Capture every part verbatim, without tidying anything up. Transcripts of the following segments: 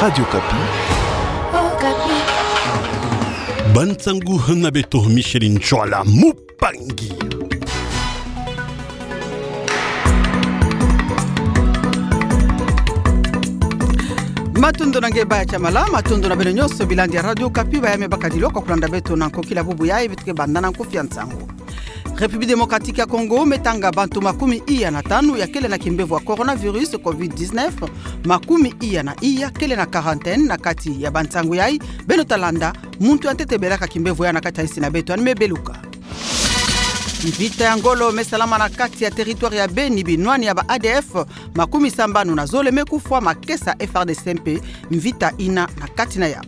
Radio Okapi. Okapi. Bansangu na beto Micheline Ntsoila Mupangi. Matondo na nge baya tiamala, matondo na beno nyonso bilandi ya Radio Okapi, baya me bakadilwa kwa kulanda beto na nkokila bubu yayi. Beto ke banda na nkufi ya nsangu. République Démocratique ya Congo me tanga bantu makumi iya na tanu ya kele na kimbevo ya coronavirus covid dix-neuf, makumi iya na iya kele na quarantaine. Na kati ya bansangu yayi beno ta landa, muntu ya ntete belaka kimbevo yayi na kati ya insi na beto, yandi me beluka. Mvita ya ngolo me salama na kati ya territoire ya Beni, binwani ya ba A D F makumi sambanu na zole me kufwa, makesa F A R D C mpe mvita ina na kati na yawu.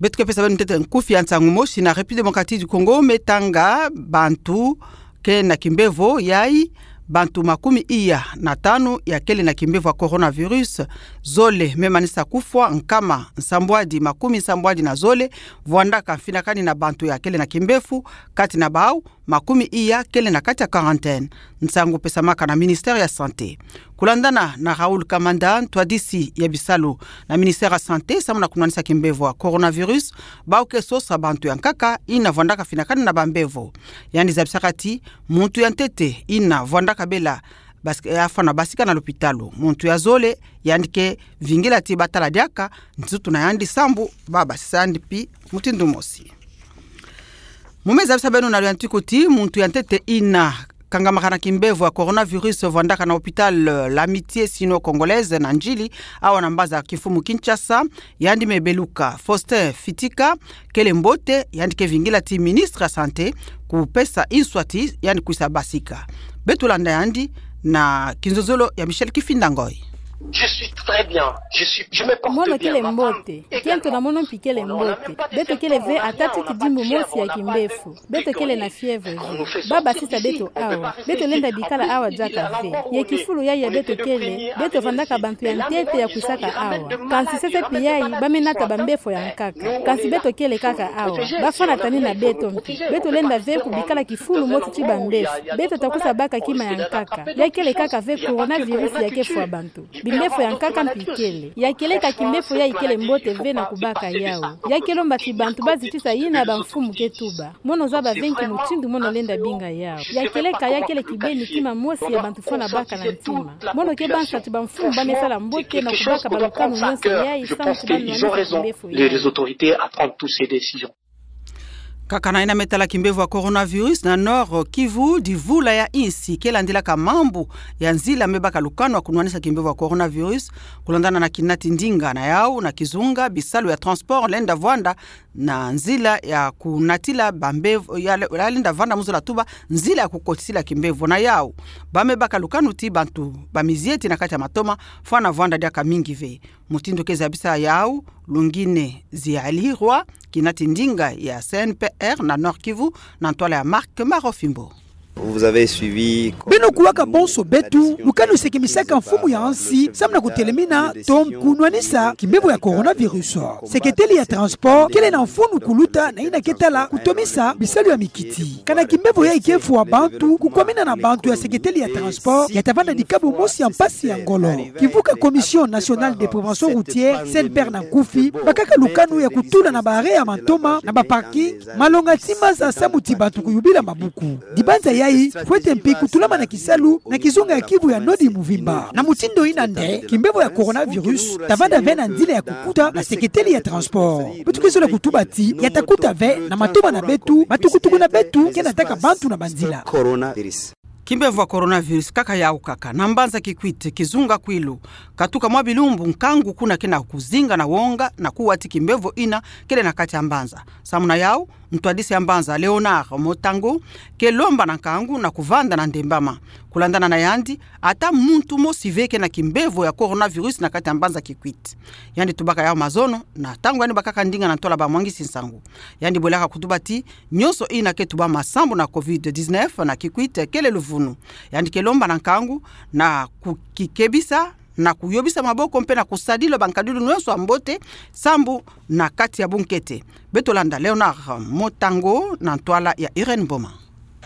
Beto ke pesa beno ntete nkufi ya nsangu. Mosi, na République Démocratique du Congo me tanga bantu ke na kimbevo yayi, bantu makumi iya na tanu ya kele na kimbevo ya coronavirus. Zole me manisa kufwa, nkama nsambwadi makumi nsambwadi na zole vwandaka mfinakani na bantu ya kele na kimbevo, kati na bawu makumi iya kele na kati ya quarantaine. Nsangu pesamaka na ministère ya Santé. Kulandana na Raoul Kamanda, ntwadisi ya bisalu na ministère ya Santé samu na kunwanisa kimbevo ya coronavirus, bawu ke sosa bantu ya nkaka ina vwandaka mfinakani na bambevo. Yandi zabisaka ti muntu ya ntete ina vwandaka bela bas-, afwana basika na lopitalo. Muntu ya zole yandi ke vingila ti batala diaka nsutu na yandi sambu babasisa yandi pi mutindu mosi. Mu me zabisa beno na luyantiku ti muntu ya ntete ina kangamaka na kimbevo ya coronavirus vwandaka na hôpital, euh, L'Amitié Sino-Congolaise na Ndjili, awa na mbaza kimfumu Kinshasa, yandi me beluka. Faustin Fitika kele mbote, yandi ke vingila ti ministre ya Santé kupesa inswa ti yandi kwisa basika. Beto landa yandi na kinzonzolo ya Michel Kifinda Ngoy. Je suis très bien. Je suis, je me porte bien. Mono kele mbote. Kiento na mono mpi kele mbote. Beto kele ve ata ti kidimbu mosi ya kimbevo. Beto kele na fièvre ve. Babasisa beto awa. Beto lenda bikala awa diaka ve. Ye kifulu yayi ya beto kele, beto vandaka bantu ya ntete ya kwisaka awa. Kansi sese mpi yayi, ba me nata bambevo ya nkaka. Kansi beto kele kaka awa. Bafwana tani na beto mpi. Beto lenda ve kubikala kifulu moti ti bambevo. Beto ta kwisa baka kima ya nkaka. Ya kele kaka ve coronavirus ya ke fwa bantu. Bimbevo ya nkaka mpi kele. Ya kele ka kimbevo yayi kele mbote ve na kubaka yawu. Ya ke lomba ti bantu bazitisa yina bamfumu ke tuba. Mono zaba ve nki mutindu mono lenda binga yawu. Ya kele ka ya kele kibeni kima mosi ya bantu fwana baka na ntima. Mono ke bansa ti bamfumu ba me sala mbote na kubaka balukanu nyonso yayi samu ti banwanisa kimbevo yayi. Nkaka na yina me tala kimbevo ya coronavirus na Nord Kivu, divula ya insi ke landilaka mambu ya nzila me baka lukanu ya kunwanisa kimbevo ya coronavirus. Kulandana na kinati ndinga na yawu na kizunga, bisalu ya transport lenda vwanda na nzila ya kunatila bambevo, ya, ya lenda vwanda mu zola tuba nzila ya kukotisila kimbevo na yawu. Ba me baka lukanu ti bantu bamizieti na kati ya matoma fwana vwanda diaka mingi ve. Mutindu ke zabisa yawu, Lungine Zialirwa, kinati ndinga ya C N P R na Nord Kivu, na ntwala ya Marc Marofimbo. Vous avez suivi. Beno kuwaka bonso beto, lukanu sekemisaka mfumu ya nsi samu na kutelemina to kunwanisa kimbevo ya coronavirus. Seketeli ya transport kele na mfunu kuluta na yina ke tala kutomisa bisalu ya mikiti. Kana kimbevo yayi ke fwa bantu, kukwamina na bantu ya seketeli ya transport ya ta vanda dikabu mosi ya mpasi ya ngolo. Kivuka Commission Nationale de Prévention Routière, C N P R na nkufi, bakaka lukanu ya kutula na ba arrêt ya matoma na ba parking malonga ti maza samu ti bantu kuyubila mabuku. Dibanza yayi fwete mpi kutulamana kisalu na kizunga ya Kivu ya Nord muvimba. Na mutindu yina nde kimbevo ya coronavirus ta vanda ve na nzila ya kukuta na seketeli ya transport. Beto ke zola kutuba ti ya ta kuta ve na matoma na beto, matukutuku na beto ke nataka bantu na banzila. Kimbevo ya coronavirus kaka yawu kaka. Na mbanza Kikwit, kizunga Kwilu, katuka mwa bilumbu nkangu kuna ke na kuzinga na wonga na kuwa ti kimbevo yina kele na kati ya mbanza. Samu na yawu, ntwadisi ya mbanza Léonard Motango ke lomba na nkangu na kuvanda na ndembama. Kulandana na yandi, ata muntu mosi ve ke na kimbevo ya coronavirus na kati ya mbanza Kikwit. Yandi tubaka yawu mazono na ntangu yandi bakaka ndinga na ntwala bamwangisi nsangu. Yandi bwelaka kutuba ti nyonso yina ke tubama sambu na covid dix-neuf na Kikwit kele luvunu. Yandi ke lomba na nkangu na kukikebisa, na kuyobisa maboko mpe na kusadila bankadilu nyonso ya mbote sambu na kati ya bunkete. Beto landa Léonard Motango na ntwala ya Irène Mboma.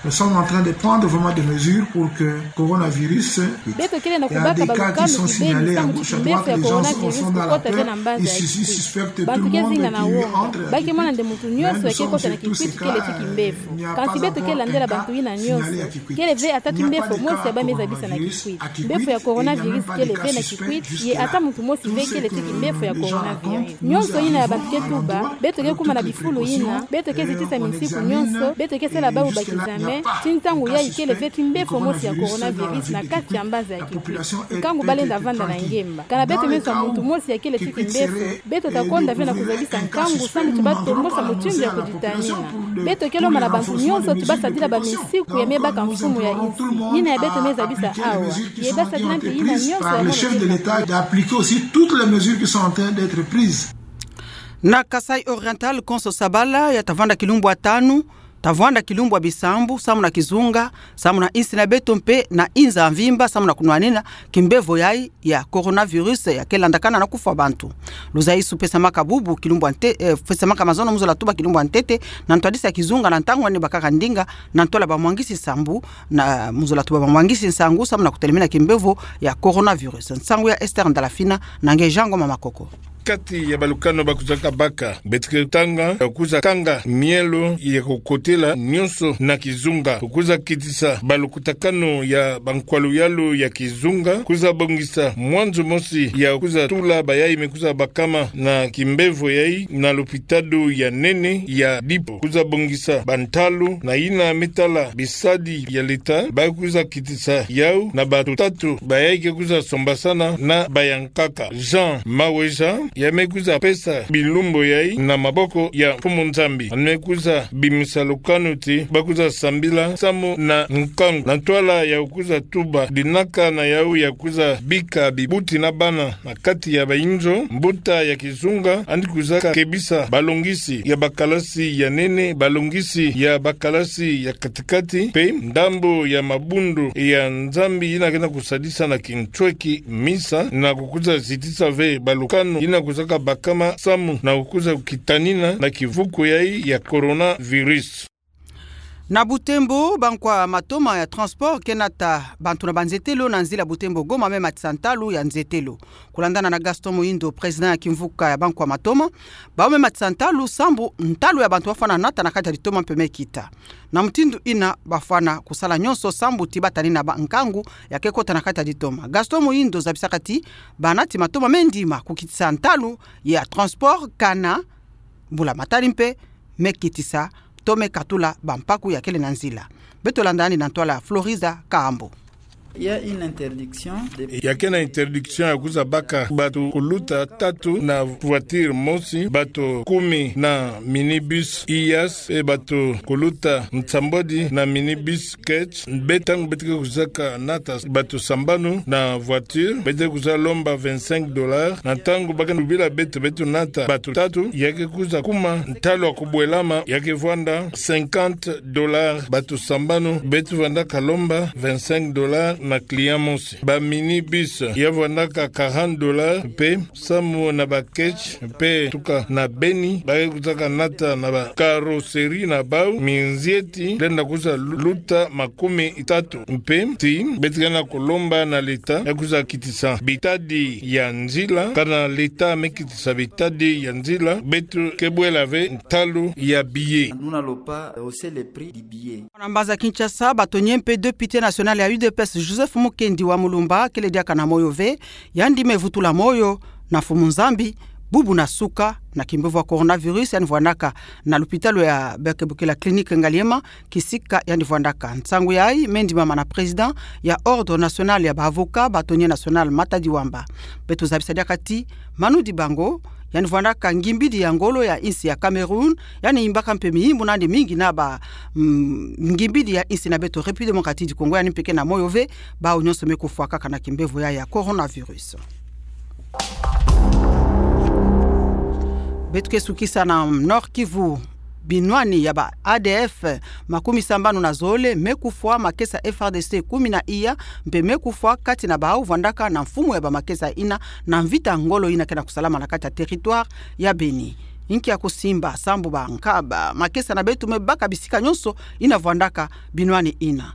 Nous sommes en train de prendre vraiment des mesures pour que coronavirus, beto kele na kubaka balukanu kibeni samu ti kimbefo ya coronavirus kukota ve na mbanza ya Kikwit. Bantu ke zinga na woga, ba ke mona nde muntu nyonso ya ke kota na Kikwit kele ti kimbefo. Kansi beto ke landela bantu yina nyonso. Kele ve ata ti mbefo mosi ya ba me zabisa na Kikwit. Mbefo ya coronavirus kele ve na Kikwit, ye ata muntu mosi ve kele ti kimbefo ya coronavirus. Nyonso yina ya bantu ke tuba, beto ke kuma na bifulu yina, beto ke zitisa minsiku nyonso, beto ke sala bawu ba kizame, ti ntangu yayi kele ve ti mbefo mosi ya coronavirus na kati ya mbanza ya Kikwit. Nkangu ba lenda vanda na ngemba. Kana beto meso ya muntu mosi ya kele ti kimbefo, beto ta konda ve na kuzabisa nkangu samu ti ba tombosa mutindu ya kuditanina. Beto ke lomba na bantu nyonso ti ba sadila baminsiku ya me baka mfumu ya insi. Yina ya beto me zabisa awa. Ye ba sadila mpe yina nyonso ya mono ke. Par le chef de l'État d'appliquer aussi toutes les mesures qui sont en train d'être prises. Na Kasaï Oriental, Konso Sabala ya ta vanda kilumbu ya tanu, ta vanda kilumbu ya bisambu, samu na kizunga, samu na insi na beto mpe na inza mvimba, samu na kunwanina kimbevo yayi ya coronavirus ya ke landakana na kufwa bantu. Luzaisu pesamaka bubu kilumbu ya nte-, eh, pesamaka mazono mu zola tuba kilumbu ya ntete, na ntwadisi ya kizunga na ntangu yandi bakaka ndinga, na ntwala bamwangisi nsangu, na mu zola tuba bamwangisi nsangu, samu na kutelemena kimbevo ya coronavirus. Nsangu ya Esther Ndalafina, na nge Jean Ngoma Makoko. Kati ya balukanu ba kuzaka baka, beto ke tanga ya kuza kanga mielo ya kukotela nyonso na kizunga. Kuza kitisa balukutakanu ya bankwalu-yalu ya kizunga. Kuza bongisa mwanzu mosi ya kuza tula bayayi me kuza bakama na kimbevo yayi na lupitalu ya nene ya Dipo. Kuza bongisa bantalu na yina me tala bisadi ya leta, ba kuza kitisa yau na bato tatu bayayi ke kuza sombasana na bayankaka. Jean Maweja, ya me kuza pesa bilumbu yayi na maboko ya Mfumu Nzambi. Yandi me kuza bimisa lukanu ti ba kuza sambila samu na nkangu. Na ntwala ya kuza tuba dinaka na yau ya kuza bika bibuti na bana na kati ya bayinzo, mbuta ya kizunga yandi kuza kebisa balongisi ya bakalasi ya nene, balongisi ya bakalasi ya katikati, mpe ndambu ya mabundu ya Nzambi yina ke na kusadisa na kintweki misa, na kukuza zitisa ve balukanu yina kuzaka bakama samu na kukuza kitanina na kivuku yayi ya coronavirus. Na Butembo, bankwa matoma ya transport ke nata bantu na banzetelo na nzila Butembo Goma me matisa ntalu ya nzetelo. Kulandana na Gaston Muhindo, président ya kimvuka ya bankwa matoma, bawu me matisa ntalu sambu ntalu ya bantu bafwana nata na kati ya ditoma mpe me kita. Na mutindu yina bafwana kusala nyonso sambu ti batanina ba nkangu ya ke kota na kati ya ditoma. Gaston Muhindo zabisaka ti banati matoma me ndima kukitisa ntalu ya transport kana mbulamatari mpe me kitisa to me katula bampaku ya kele na nzila. Beto landa yandi na ntwala Floriza Kahambo. Il y a une interdiction de... Ya ke na interdiction ya kuza baka bato kuluta tatu na voiture mosi, bato kumi na minibus Hiace, mpe bato kuluta nsambwadi na minibus Ketch. Mpe ntangu beto ke kuzaka nata bato sambanu na voiture, beto ke kuza lomba vingt-cinq dollars. Na ntangu ba ke tubila beto, beto nata bato tatu, ya ke kuza kuma ntalu ya kubwelama, ya ke vwanda cinquante dollars. Bato sambanu beto vwandaka lomba vingt-cinq dollars na client mosi. Ba minibus ya vwandaka quarante dollars, mpe samu na ba Ketch mpe tuka na Beni, ba ke kuzaka nata na ba carrosserie na bawu, minzieti lenda kuza lu-, luta makumi tatu. Mpe ti beto ke na kulomba na leta ya kuza kitisa bitadi ya nzila, kana leta me kitisa bitadi ya nzila, beto ke bwela ve ntalu ya billet. Nous n'allons pas hausser les prix du billet. Na mbanza Kinshasa, bato nye mpe député national ya U D P S, Joseph Mukendi wa Mulumba, kele diaka na moyo ve, yandi me vutula moyo na Mfumu Nzambi, bubu na suka, na kimbevo ya coronavirus, yandi vwandaka na lupitalu ya Beke Bukela Clinique Ngaliema, kisika yandi vwandaka. Nsangu yayi me ndimama na président ya Ordre National ya ba Avocats, bâtonnier national Matadi Wamba. Beto zabisa diaka ti Manu Dibango, yandi vwandaka ngimbidi ya ngolo ya insi ya Cameroun, yandi yimbaka mpe miyimbu na yandi mingi na ba, mm, ngimbidi ya insi na beto République Démocratique du Congo, yandi mpe ke na moyo ve, bawu nyonso me kufwa kaka na kimbevo ya, ya coronavirus. Beto ke sukisa na Nord-Kivu. Binwani ya ba A D F makumi sambanu na zole me kufwa, makesa F A R D C kumi na iya mpe me kufwa, kati na bawu vwandaka na mfumu ya ba makesa yina, na mvita ngolo yina ke na kusalama na kati ya territoire ya Beni. inki ya kusimba sambu ba nkaba makesa na beto me baka bisika nyonso ina vwandaka binwani ina.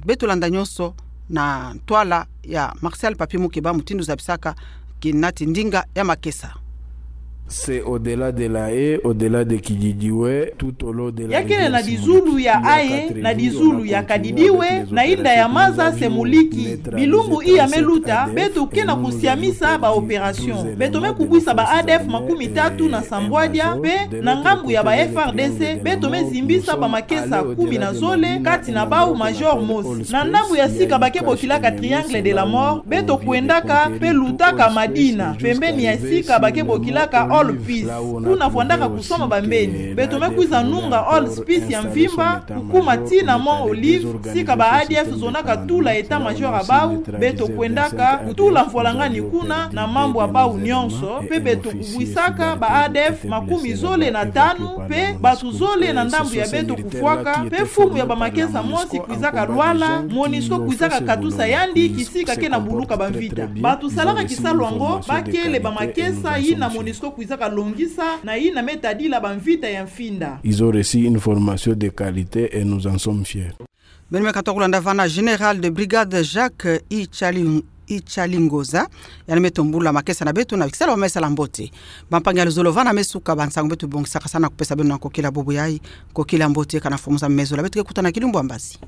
Beto landa nyonso na ntwala ya Martial Papier Mukeba, mutindu zabisaka kinati ndinga ya makesa. C'est au-delà de la haie, au-delà de Kididiwe, tout au long de la... Ya kele na dizulu ya haie, na dizulu ya Kadidiwe, na inda ya maza se Muliki. Bilumbu iya me luta, beto ke na kusiamisa ba opération. Beto me kubwisa ba A D F makumi tatu na sambwadia, mpe na ngambu ya ba F A R D C, beto me zimbisa ba makesa kumi na zole, kati na bau major mosi. Na ndambu ya sika ba ke bokilaka Triangle de la Mort, beto kwendaka mpe lutaka Madina, pembeni ya sika ba ke bokilaka All Peace. Kuna vwandaka kusoma bambeni. Beto me kwiza nunga All Peace ya mvimba, kukuma tii na Mont Olive, sika ba A D F zonaka tula état-major ya bau, beto kwendaka kutula mfwalangani kuna na mambu ya bau nyonso, mpe beto kubwisaka ba A D F makumi zole na tanu, mpe bato zole na ndambu ya beto kufwaka, mpe mfumu ya ba makesa mosi kwizaka lwala, Monusco kwizaka katusa yandi kisika ke na buluka bamvita. Bato salaka kisalu yango, ba kele ba makesa yina Monusco kwizaka longisa, na yina me tadila bamvita ya mfinda. Ils ont reçu une formation de qualité et nous en sommes fiers. Beno me katuka kulanda vana Général de Brigade Jacques Ichali-, Ichalingoza, yandi me tombula makesa na beto na kisalu ya me sala mbote. Bampangi ya luzolo, vana me suka bansangu beto bongisaka sana kupesa beno na nkokila bubu yayi, nkokila mbote kana fumuza mezo la beto ke kutana kilumbu ya mbasi.